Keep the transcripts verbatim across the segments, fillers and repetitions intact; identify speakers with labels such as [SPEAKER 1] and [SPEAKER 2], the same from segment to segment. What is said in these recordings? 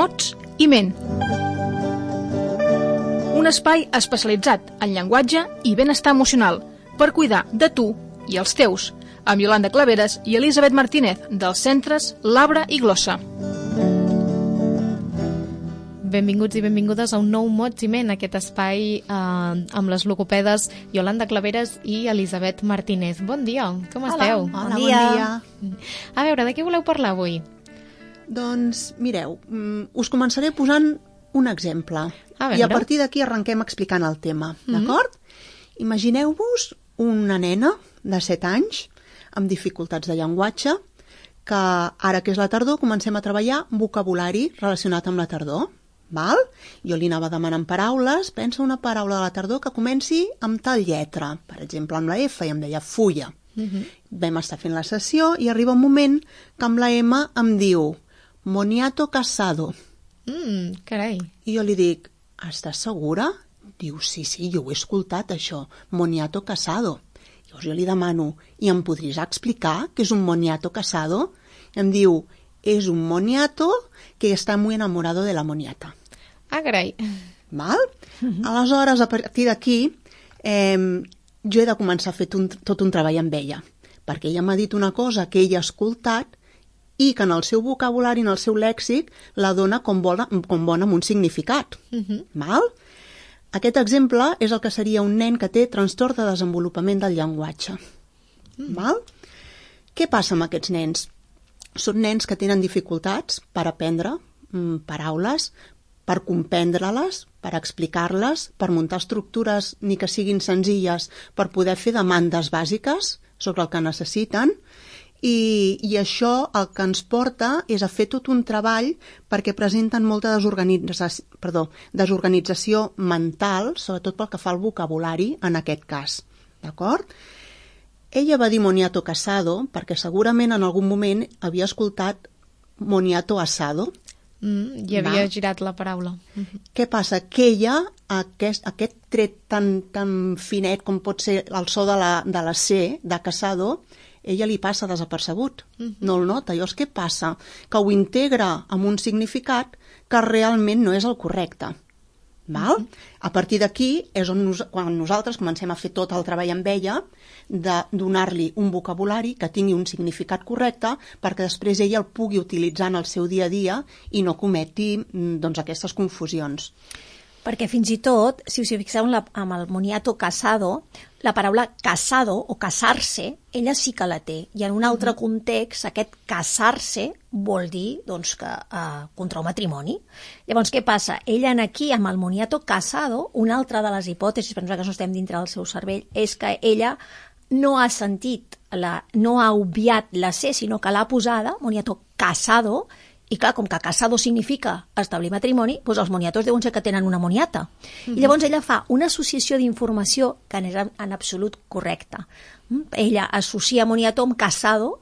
[SPEAKER 1] mots i ment. Un espai especialitzat en llenguatge i benestar emocional per cuidar de tu i els teus, amb Iolanda Claveres i Elisabet Martínez, dels centres Labra i Glossa.
[SPEAKER 2] Benvinguts i benvingudes a un nou Mots i Ment, aquest espai eh, amb les logopedes Iolanda Claveres i Elisabet Martínez. Bon dia, com
[SPEAKER 3] Hola.
[SPEAKER 2] esteu?
[SPEAKER 3] Hola, bon dia. bon dia.
[SPEAKER 2] A veure, de què voleu parlar avui?
[SPEAKER 3] Doncs, mireu, us començaré posant un exemple.
[SPEAKER 2] A
[SPEAKER 3] I a partir d'aquí arrenquem explicant el tema, mm-hmm. d'acord? Imagineu-vos una nena de set anys amb dificultats de llenguatge que ara que és la tardor comencem a treballar vocabulari relacionat amb la tardor. Val? Jo li anava demanant paraules, pensa una paraula de la tardor que comenci amb tal lletra, per exemple amb la F, i em deia fulla. Uh-huh. Vam estar fent la sessió i arriba un moment que amb la M em diu moniato casado.
[SPEAKER 2] Mm, carai.
[SPEAKER 3] I jo li dic, estàs segura? Diu, sí, sí, jo ho he escoltat això, moniato casado. Llavors jo li demano, i em podries explicar què és un moniato casado? I em diu, és un moniato que està muy enamorado de la moniata.
[SPEAKER 2] Ah, carai.
[SPEAKER 3] Val? Uh-huh. Aleshores, a partir d'aquí, eh, jo he de començar a fer un, tot un treball amb ella, perquè ella m'ha dit una cosa que ella ha escoltat i que en el seu vocabulari, en el seu lèxic, la dona com bona, com bona amb un significat. Uh-huh. Val? Aquest exemple és el que seria un nen que té trastorn de desenvolupament del llenguatge. Uh-huh. Val? Què passa amb aquests nens? Són nens que tenen dificultats per aprendre mm, paraules, per comprendre-les, per explicar-les, per muntar estructures ni que siguin senzilles, per poder fer demandes bàsiques sobre el que necessiten, i, i això el que ens porta és a fer tot un treball perquè presenten molta desorganització, perdó, desorganització mental, sobretot pel que fa al vocabulari en aquest cas. D'acord? Ella va dir moniato casado perquè segurament en algun moment havia escoltat moniato asado.
[SPEAKER 2] Mm, I havia
[SPEAKER 3] Va.
[SPEAKER 2] girat la paraula. Mm-hmm.
[SPEAKER 3] Què passa? Que ella, aquest, aquest tret tan, tan finet com pot ser el so de la, de la C, de casado, ella li passa desapercebut. Mm-hmm. No el nota. Llavors, què passa? Que ho integra amb un significat que realment no és el correcte. Val? Mm-hmm. A partir d'aquí és on nos, quan nosaltres comencem a fer tot el treball amb ella, de donar-li un vocabulari que tingui un significat correcte perquè després ella el pugui utilitzar en el seu dia a dia i no cometi doncs, aquestes confusions.
[SPEAKER 4] Perquè fins i tot, si us hi fixeu en la, amb el moniato casado, la paraula casado o casar-se, ella sí que la té. I en un altre context, aquest casar-se vol dir doncs, que uh, contra un matrimoni. Llavors, què passa? Ella en aquí, amb el moniato casado, una altra de les hipòtesis, per nosaltres no estem dintre del seu cervell, és que ella no ha sentit, la, no ha obviat la C, sinó que l'ha posada, moniato casado, i clar, com que casado significa establir matrimoni, doncs els moniatos deuen ser que tenen una moniata. Mm-hmm. I llavors ella fa una associació d'informació que és en, en absolut correcta. Mm? Ella associa moniato amb casado,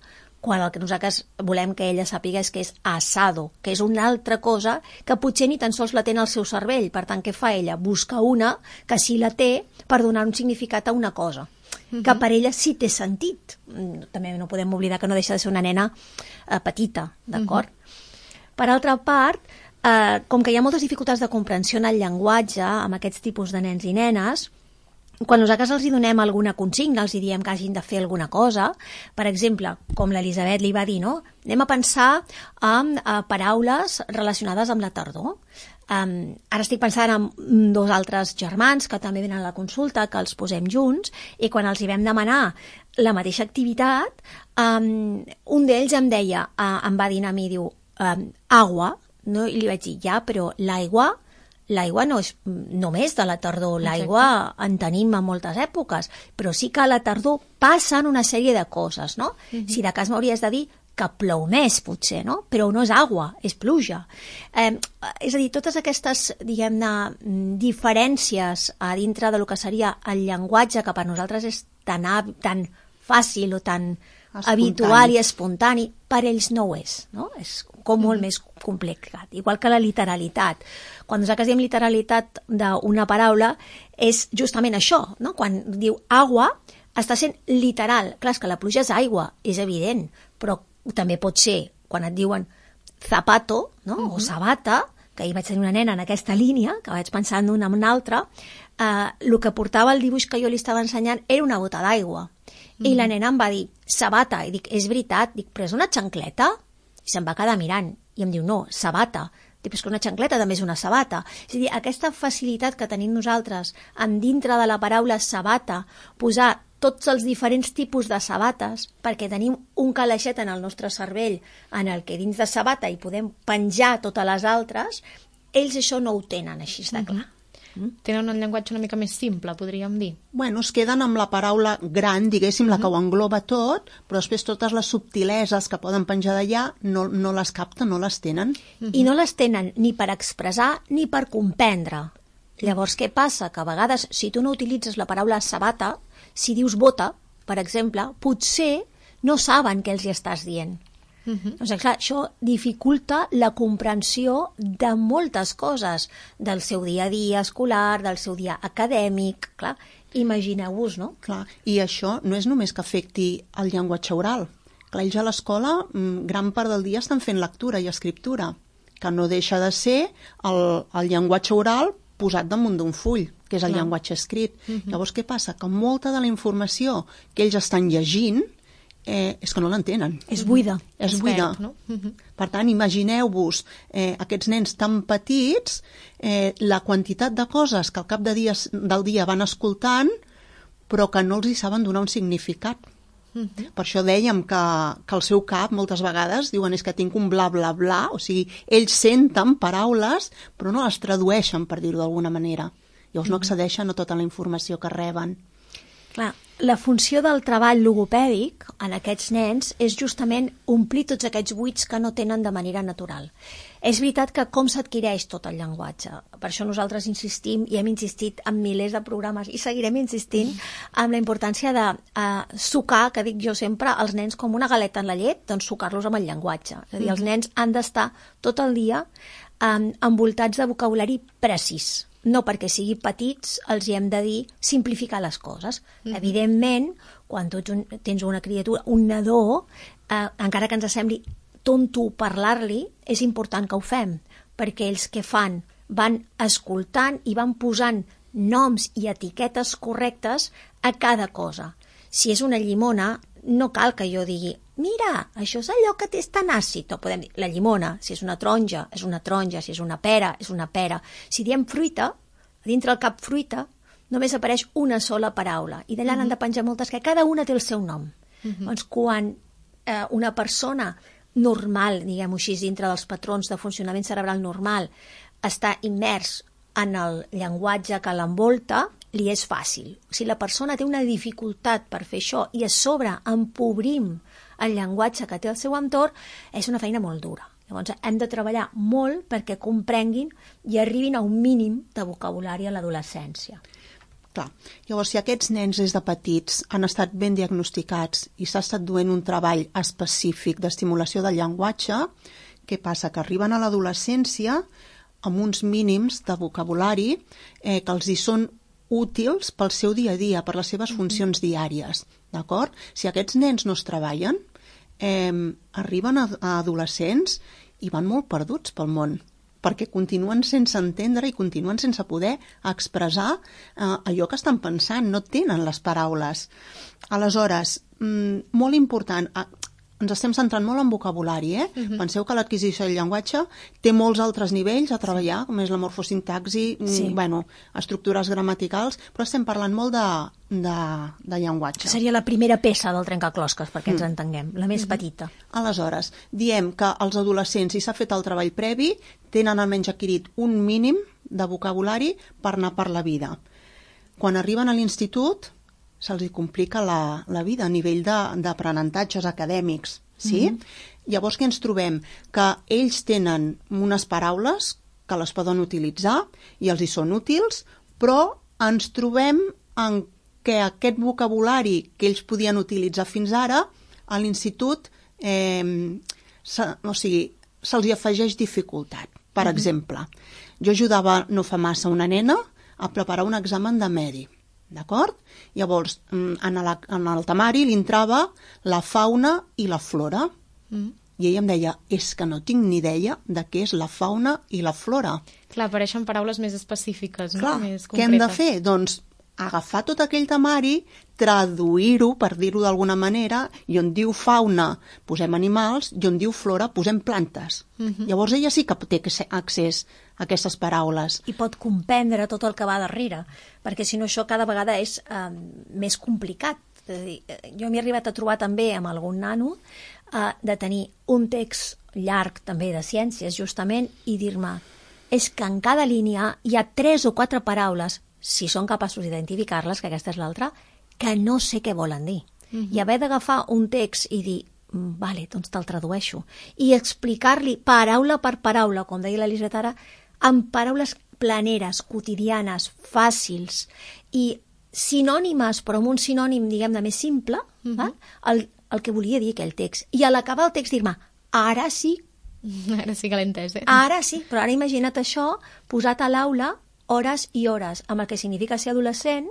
[SPEAKER 4] quan el que nosaltres volem que ella sàpiga és que és asado, que és una altra cosa que potser ni tan sols la té en el seu cervell. Per tant, què fa ella? Busca una que sí la té per donar un significat a una cosa. Uh-huh. Que per ella sí té sentit. També no podem oblidar que no deixa de ser una nena eh, petita, d'acord? Uh-huh. Per altra part, eh, com que hi ha moltes dificultats de comprensió en el llenguatge amb aquests tipus de nens i nenes, quan nosaltres els hi donem alguna consigna, els hi diem que hagin de fer alguna cosa, per exemple, com l'Elisabet li va dir, no? Anem a pensar en uh, paraules relacionades amb la tardor. Um, ara estic pensant en dos altres germans que també venen a la consulta, que els posem junts, i quan els hi vam demanar la mateixa activitat, um, un d'ells em deia, uh, em va dir a mi, diu, um, agua, no? I li vaig dir, ja, però l'aigua l'aigua no és només de la tardor, l'aigua en tenim a moltes èpoques, però sí que a la tardor passen una sèrie de coses, no? Uh-huh. Si de cas m'hauries de dir que plou més, potser, no? Però no és aigua, és pluja. Eh, és a dir, totes aquestes, diguem-ne, diferències a dintre de lo que seria el llenguatge, que per nosaltres és tan, tan fàcil o tan espontani. Habitual i espontani, per ells no ho és, no? És com molt mm. més complicat. Igual que la literalitat. Quan nosaltres diem literalitat d'una paraula, és justament això, no? Quan diu agua, està sent literal. Clar, és que la pluja és aigua, és evident, però també pot ser, quan et diuen zapato, no? Uh-huh. O sabata, que ahir vaig tenir una nena en aquesta línia, que vaig pensar en una en una altra, eh, el que portava el dibuix que jo li estava ensenyant era una bota d'aigua. Uh-huh. I la nena em va dir, sabata, i dic, és veritat, dic, però és una xancleta? I se'm va quedar mirant, i em diu, no, sabata. Dic, però és que una xancleta també és una sabata. És a dir, aquesta facilitat que tenim nosaltres en dintre de la paraula sabata, posar tots els diferents tipus de sabates, perquè tenim un calaixet en el nostre cervell en el que dins de sabata hi podem penjar totes les altres, ells això no ho tenen així de clar.
[SPEAKER 2] Uh-huh. Mm? Tenen un llenguatge una mica més simple, podríem dir.
[SPEAKER 3] Bueno, es queden amb la paraula gran, diguéssim, uh-huh. la que ho engloba tot, però després totes les subtileses que poden penjar d'allà no, no les capten, no les tenen.
[SPEAKER 4] Uh-huh. I no les tenen ni per expressar ni per comprendre. Llavors, què passa? Que a vegades, si tu no utilitzes la paraula sabata, si dius bota, per exemple, potser no saben què els hi estàs dient. Uh-huh. Doncs, clar, això dificulta la comprensió de moltes coses, del seu dia a dia escolar, del seu dia acadèmic, clar, imagineu-vos, no?
[SPEAKER 3] Clar, i això no és només que afecti el llenguatge oral. Clar, ells a l'escola, gran part del dia estan fent lectura i escriptura, que no deixa de ser el, el llenguatge oral posat damunt d'un full, que és el Clar. llenguatge escrit. Uh-huh. Llavors, què passa? Que molta de la informació que ells estan llegint eh, és que no l'entenen.
[SPEAKER 4] És buida.
[SPEAKER 3] És buida. No? Uh-huh. Per tant, imagineu-vos eh, aquests nens tan petits, eh, la quantitat de coses que al cap de dies, del dia van escoltant, però que no els hi saben donar un significat. Uh-huh. Per això dèiem que, que el seu cap moltes vegades diuen és que tinc un bla bla bla, o sigui, ells senten paraules però no les tradueixen, per dir-ho d'alguna manera. Llavors uh-huh. no accedeixen a tota la informació que reben.
[SPEAKER 4] Clar, la funció del treball logopèdic en aquests nens és justament omplir tots aquests buits que no tenen de manera natural. És veritat que com s'adquireix tot el llenguatge. Per això nosaltres insistim, i hem insistit en milers de programes, i seguirem insistint en la importància de eh, sucar, que dic jo sempre, els nens com una galeta en la llet, doncs sucar-los amb el llenguatge. És a dir, els nens han d'estar tot el dia eh, envoltats de vocabulari precís. No perquè sigui petits els hi hem de dir simplificar les coses. Mm-hmm. Evidentment, quan tu tens una criatura, un nadó, eh, encara que ens sembli tonto parlar-li, és important que ho fem, perquè ells què fan? Van escoltant i van posant noms i etiquetes correctes a cada cosa. Si és una llimona, no cal que jo digui mira, això és allò que és tan àcid, o podem dir, la llimona, si és una taronja, és una taronja, si és una pera, és una pera. Si diem fruita, dintre el cap fruita, només apareix una sola paraula, i d'allà uh-huh. n'han de penjar moltes, que cada una té el seu nom. Uh-huh. Doncs quan eh, una persona normal, diguem-ho així, dintre dels patrons de funcionament cerebral normal, està immers en el llenguatge que l'envolta, li és fàcil. Si la persona té una dificultat per fer això i a sobre empobrim el llenguatge que té al seu entorn, és una feina molt dura. Llavors hem de treballar molt perquè comprenguin i arribin a un mínim de vocabulari a l'adolescència.
[SPEAKER 3] Clar. Llavors, si aquests nens des de petits han estat ben diagnosticats i s'ha estat duent un treball específic d'estimulació del llenguatge, què passa? Que arriben a l'adolescència amb uns mínims de vocabulari eh, que els hi són útils pel seu dia a dia, per les seves funcions diàries, d'acord? Si aquests nens no es treballen, eh, arriben a, a adolescents i van molt perduts pel món, perquè continuen sense entendre i continuen sense poder expressar eh, allò que estan pensant, no tenen les paraules. Aleshores, mm, molt important, eh, ens estem centrant molt en vocabulari, eh? Uh-huh. Penseu que l'adquisició del llenguatge té molts altres nivells a treballar, com és la morfosintaxi, sí. bueno, estructures gramaticals, però estem parlant molt de, de, de llenguatge.
[SPEAKER 4] Seria la primera peça del trencaclosques, perquè ens mm. entenguem, la més mm-hmm. petita.
[SPEAKER 3] Aleshores, diem que els adolescents, si s'ha fet el treball previ, tenen almenys adquirit un mínim de vocabulari per anar per la vida. Quan arriben a l'institut, se'ls hi complica la, la vida a nivell d'aprenentatges acadèmics. Sí? Mm-hmm. Llavors, què ens trobem? Que ells tenen unes paraules que les poden utilitzar i els hi són útils, però ens trobem en que aquest vocabulari que ells podien utilitzar fins ara, a l'institut, eh, se, o sigui, se'ls hi afegeix dificultat. Per mm-hmm. exemple, jo ajudava no fa massa una nena a preparar un examen de medi. D'acord? Llavors, en, la, en el temari li entrava la fauna i la flora. Mm. I ella em deia, és que no tinc ni idea de què és la fauna i la flora.
[SPEAKER 2] Clar, apareixen paraules més específiques, no?
[SPEAKER 3] Clar,
[SPEAKER 2] Més
[SPEAKER 3] què hem de
[SPEAKER 2] concretes.
[SPEAKER 3] fer? Doncs agafar tot aquell temari, traduir-ho, per dir-ho d'alguna manera, i on diu fauna posem animals, i on diu flora posem plantes. Uh-huh. Llavors ella sí que té accés a aquestes paraules.
[SPEAKER 4] I pot comprendre tot el que va darrere, perquè si no això cada vegada és eh, més complicat. És a dir, jo m'he arribat a trobar també amb algun nano eh, de tenir un text llarg també de ciències justament i dir-me, és que en cada línia hi ha tres o quatre paraules, si són capaços d'identificar-les, que aquesta és l'altra, que no sé què volen dir. Uh-huh. I haver d'agafar un text i dir, vale, doncs te'l tradueixo, i explicar-li paraula per paraula, com deia l'Elisabet ara, amb paraules planeres, quotidianes, fàcils, i sinònimes, però amb un sinònim, diguem-ne, més simple, uh-huh. eh? el, el que volia dir aquell text. I a l'acabar el text dir-me, ara sí.
[SPEAKER 2] Ara sí que l'he entès, eh?
[SPEAKER 4] Ara sí, però ara imagina't això posat a l'aula hores i hores, amb el que significa ser adolescent,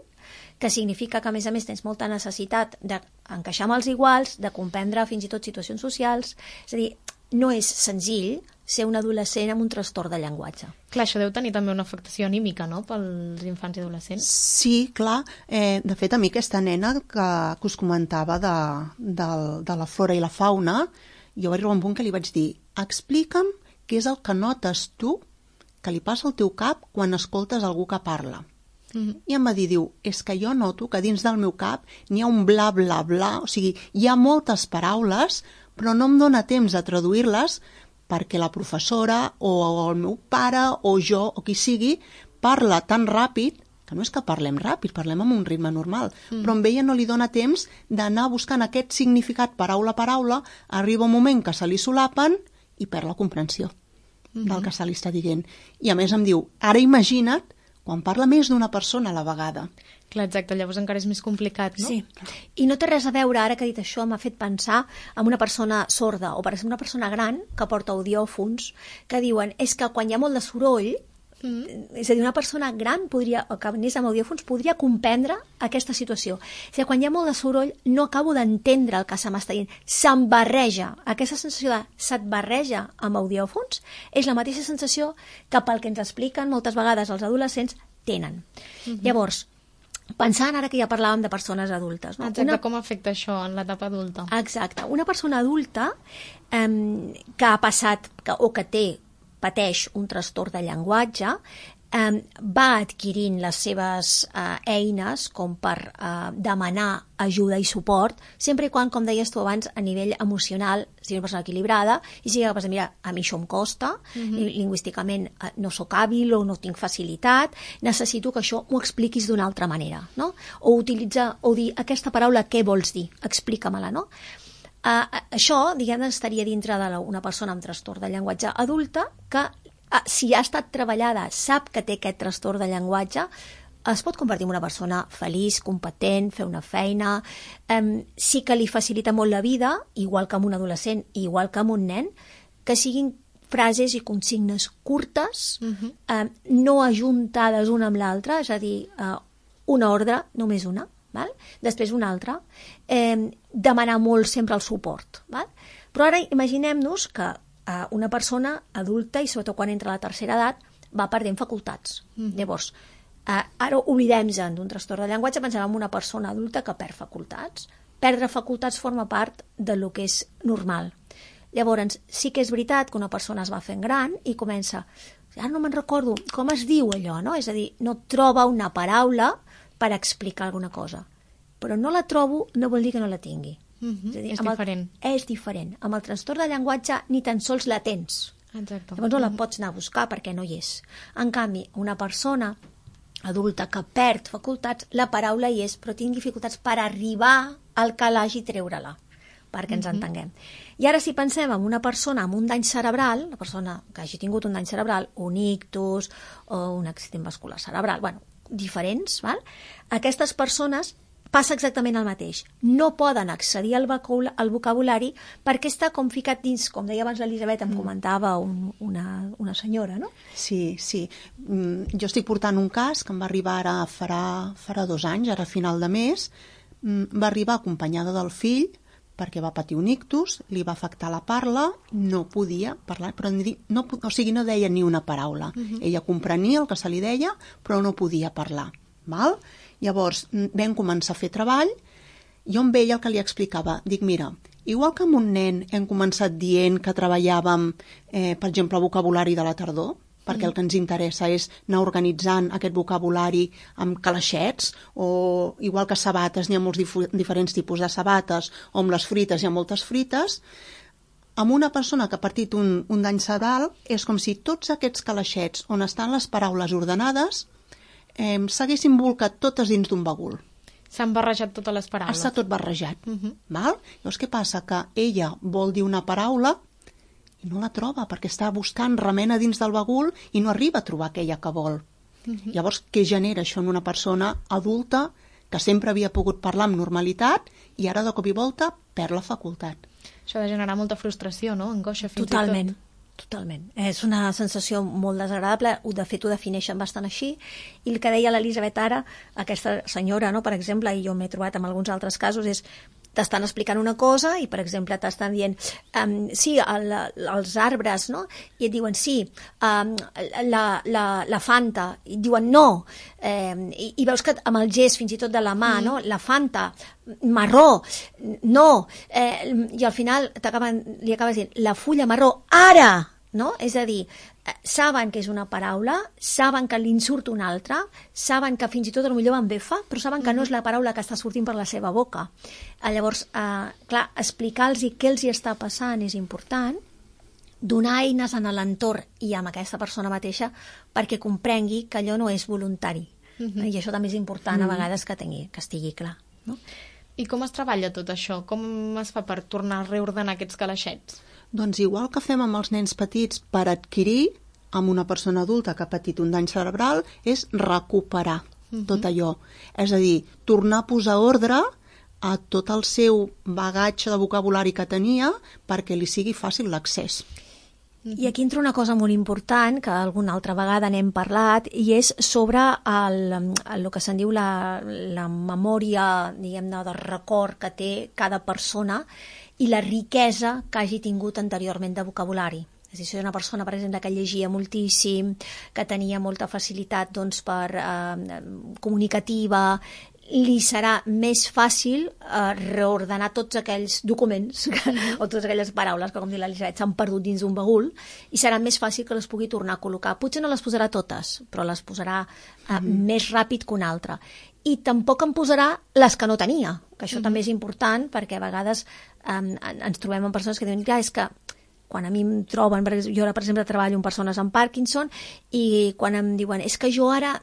[SPEAKER 4] que significa que, a més a més, tens molta necessitat d'encaixar amb els iguals, de comprendre fins i tot situacions socials. És a dir, no és senzill ser un adolescent amb un trastorn de llenguatge.
[SPEAKER 2] Clar, això deu tenir també una afectació anímica, no?, pels infants i adolescents.
[SPEAKER 3] Sí, clar. Eh, de fet, a mi aquesta nena que, que us comentava de, de, de la flora i la fauna, jo vaig arribar a un punt que li vaig dir, explica'm què és el que notes tu que li passa al teu cap quan escoltes algú que parla. Mm-hmm. I em va dir, diu, és que jo noto que dins del meu cap n'hi ha un bla, bla, bla, o sigui, hi ha moltes paraules, però no em dóna temps de traduir-les perquè la professora o el meu pare o jo o qui sigui parla tan ràpid, que no és que parlem ràpid, parlem amb un ritme normal, mm. però amb ella no li dóna temps d'anar buscant aquest significat paraula a paraula, arriba un moment que se li solapen i perd la comprensió del que se li està dient. I a més em diu, ara imagina't quan parla més d'una persona a la vegada.
[SPEAKER 2] Clar, exacte, llavors encara és més complicat, no?
[SPEAKER 4] Sí, i no té res a veure, ara que he dit això, m'ha fet pensar en una persona sorda, o per exemple una persona gran que porta audiòfons, que diuen, és que quan hi ha molt de soroll, mm. és a dir, una persona gran podria, o que anés amb audiòfons podria comprendre aquesta situació. És a dir, quan hi ha molt de soroll no acabo d'entendre el que se m'està dient, se'm barreja. Aquesta sensació de se't barreja amb audiòfons és la mateixa sensació que pel que ens expliquen moltes vegades els adolescents tenen. Mm-hmm. Llavors, pensant ara que ja parlàvem de persones adultes. No?
[SPEAKER 2] Exacte,
[SPEAKER 4] una...
[SPEAKER 2] com afecta això en l'etapa adulta?
[SPEAKER 4] Exacte. Una persona adulta eh, que ha passat que, o que té pateix un trastorn de llenguatge, eh, va adquirint les seves eh, eines com per eh, demanar ajuda i suport, sempre i quan, com deies tu abans, a nivell emocional sigui una persona equilibrada i sigui capaç de mirar, a mi això em costa, uh-huh. lingüísticament eh, no sóc hàbil o no tinc facilitat, necessito que això m'ho expliquis d'una altra manera, no? O utilitzar, o dir, aquesta paraula què vols dir? Explica-me-la, no? Uh, això, diguem, estaria dintre d'una persona amb trastorn de llenguatge adulta que, uh, si ha estat treballada, sap que té aquest trastorn de llenguatge, es pot convertir en una persona feliç, competent, fer una feina, um, sí que li facilita molt la vida, igual que amb un adolescent, igual que amb un nen, que siguin frases i consignes curtes, uh-huh. um, no ajuntades una amb l'altra, és a dir, uh, una ordre, només una, val? Després una altra, eh, demanar molt sempre el suport. Val? Però ara imaginem-nos que eh, una persona adulta, i sobretot quan entra a la tercera edat, va perdent facultats. Mm. Llavors, eh, ara oblidem-nos d'un trastorn de llenguatge, pensem en una persona adulta que perd facultats. Perdre facultats forma part de lo que és normal. Llavors, sí que és veritat que una persona es va fent gran i comença, ara no me'n recordo, com es diu allò, no? És a dir, no troba una paraula per explicar alguna cosa. Però no la trobo no vol dir que no la tingui.
[SPEAKER 2] Mm-hmm.
[SPEAKER 4] És a dir,
[SPEAKER 2] és
[SPEAKER 4] el,
[SPEAKER 2] diferent.
[SPEAKER 4] És diferent. Amb el trastorn de llenguatge ni tan sols la tens.
[SPEAKER 2] Exacte.
[SPEAKER 4] Llavors no la pots anar a buscar perquè no hi és. En canvi, una persona adulta que perd facultats, la paraula hi és, però tinc dificultats per arribar al calaix i treure-la, perquè ens mm-hmm. entenguem. I ara si pensem en una persona amb un dany cerebral, una persona que hagi tingut un dany cerebral, un ictus o un accident vascular cerebral, bueno, diferents, val? Aquestes persones passa exactament el mateix. No poden accedir al, vocabul al vocabulari perquè està com ficat dins, com deia abans l'Elisabet, em comentava un, una, una senyora, no?
[SPEAKER 3] Sí, sí. Mm, jo estic portant un cas que em va arribar ara farà, farà dos anys, ara a final de mes. Mm, va arribar acompanyada del fill perquè va patir un ictus, li va afectar la parla, no podia parlar, però no, o sigui, no deia ni una paraula. Uh-huh. Ella comprenia el que se li deia, però no podia parlar. Val? Llavors vam començar a fer treball, jo amb ella el que li explicava, dic, mira, igual que amb un nen hem començat dient que treballàvem, eh, per exemple, vocabulari de la tardor, perquè el que ens interessa és anar organitzant aquest vocabulari amb calaixets, o igual que sabates, n'hi ha molts dif- diferents tipus de sabates, o amb les frites hi ha moltes frites, amb una persona que ha patit un, un dany cerebral és com si tots aquests calaixets on estan les paraules ordenades eh, s'haguessin bolcat totes dins d'un bagul.
[SPEAKER 2] S'han barrejat totes les paraules.
[SPEAKER 3] Està tot barrejat.
[SPEAKER 2] Uh-huh.
[SPEAKER 3] Val? Llavors què passa? Que ella vol dir una paraula i no la troba perquè està buscant remena dins del bagul i no arriba a trobar aquella que vol. Uh-huh. Llavors, què genera això en una persona adulta que sempre havia pogut parlar amb normalitat i ara de cop i volta perd la facultat?
[SPEAKER 2] Això ha de generar molta frustració, no? Angoixa fins
[SPEAKER 4] Totalment.
[SPEAKER 2] i tot.
[SPEAKER 4] Totalment. És una sensació molt desagradable, de fet ho defineixen bastant així, i el que deia l'Elisabet ara, aquesta senyora, no, per exemple, i jo m'he trobat en alguns altres casos, és t'estan explicant una cosa i, per exemple, t'estan dient um, sí, el, els arbres, no? I et diuen sí, um, la, la, la Fanta, i diuen no, eh, i, i veus que amb el gest fins i tot de la mà, mm. no? La Fanta, marró, no, eh, i al final li acabes dient la fulla marró, ara, no? És a dir, saben que és una paraula, saben que li en surt una altra, saben que fins i tot potser van befa, però saben que no és la paraula que està sortint per la seva boca. Llavors, eh, clar, explicar-los què els hi està passant és important, donar eines en l'entorn i amb aquesta persona mateixa perquè comprengui que allò no és voluntari. Uh-huh. I això també és important uh-huh. a vegades que, tingui, que estigui clar. No?
[SPEAKER 2] I com es treballa tot això? Com es fa per tornar a reordenar aquests calaixets?
[SPEAKER 3] Doncs igual que fem amb els nens petits per adquirir, amb una persona adulta que ha patit un dany cerebral, és recuperar uh-huh. tot allò. És a dir, tornar a posar ordre a tot el seu bagatge de vocabulari que tenia perquè li sigui fàcil l'accés.
[SPEAKER 4] I aquí entra una cosa molt important, que alguna altra vegada n'hem parlat, i és sobre el, el que se'n diu la, la memòria, diguem-ne, de record que té cada persona i la riquesa que hagi tingut anteriorment de vocabulari. És a dir, si és una persona, per exemple, que llegia moltíssim, que tenia molta facilitat doncs, per eh, comunicativa, li serà més fàcil eh, reordenar tots aquells documents que, o totes aquelles paraules que, com diu l'Elisabet, s'han perdut dins un bagul, i serà més fàcil que les pugui tornar a col·locar. Potser no les posarà totes, però les posarà eh, mm. més ràpid que una altra. I tampoc en posarà les que no tenia, que això mm. també és important, perquè a vegades eh, ens trobem amb persones que diuen, clar, és que quan a mi em troben, jo ara, per exemple, treballo amb persones amb Parkinson, i quan em diuen, és que jo ara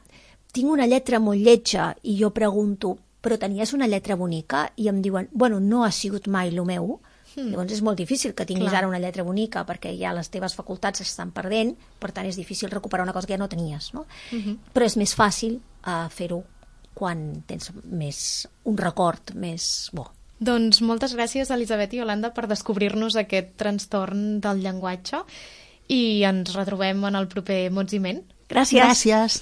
[SPEAKER 4] tinc una lletra molt lletja, i jo pregunto, però tenies una lletra bonica? I em diuen, bueno, no ha sigut mai el meu. Mm. Llavors és molt difícil que tinguis Clar. Ara una lletra bonica, perquè ja les teves facultats s'estan perdent, per tant és difícil recuperar una cosa que ja no tenies, no? Mm-hmm. Però és més fàcil uh, fer-ho quan tens més un record més bo.
[SPEAKER 2] Doncs moltes gràcies, Elisabet i Iolanda, per descobrir-nos aquest trastorn del llenguatge, i ens retrobem en el proper Mots i Ment.
[SPEAKER 4] Gràcies.
[SPEAKER 3] Gràcies.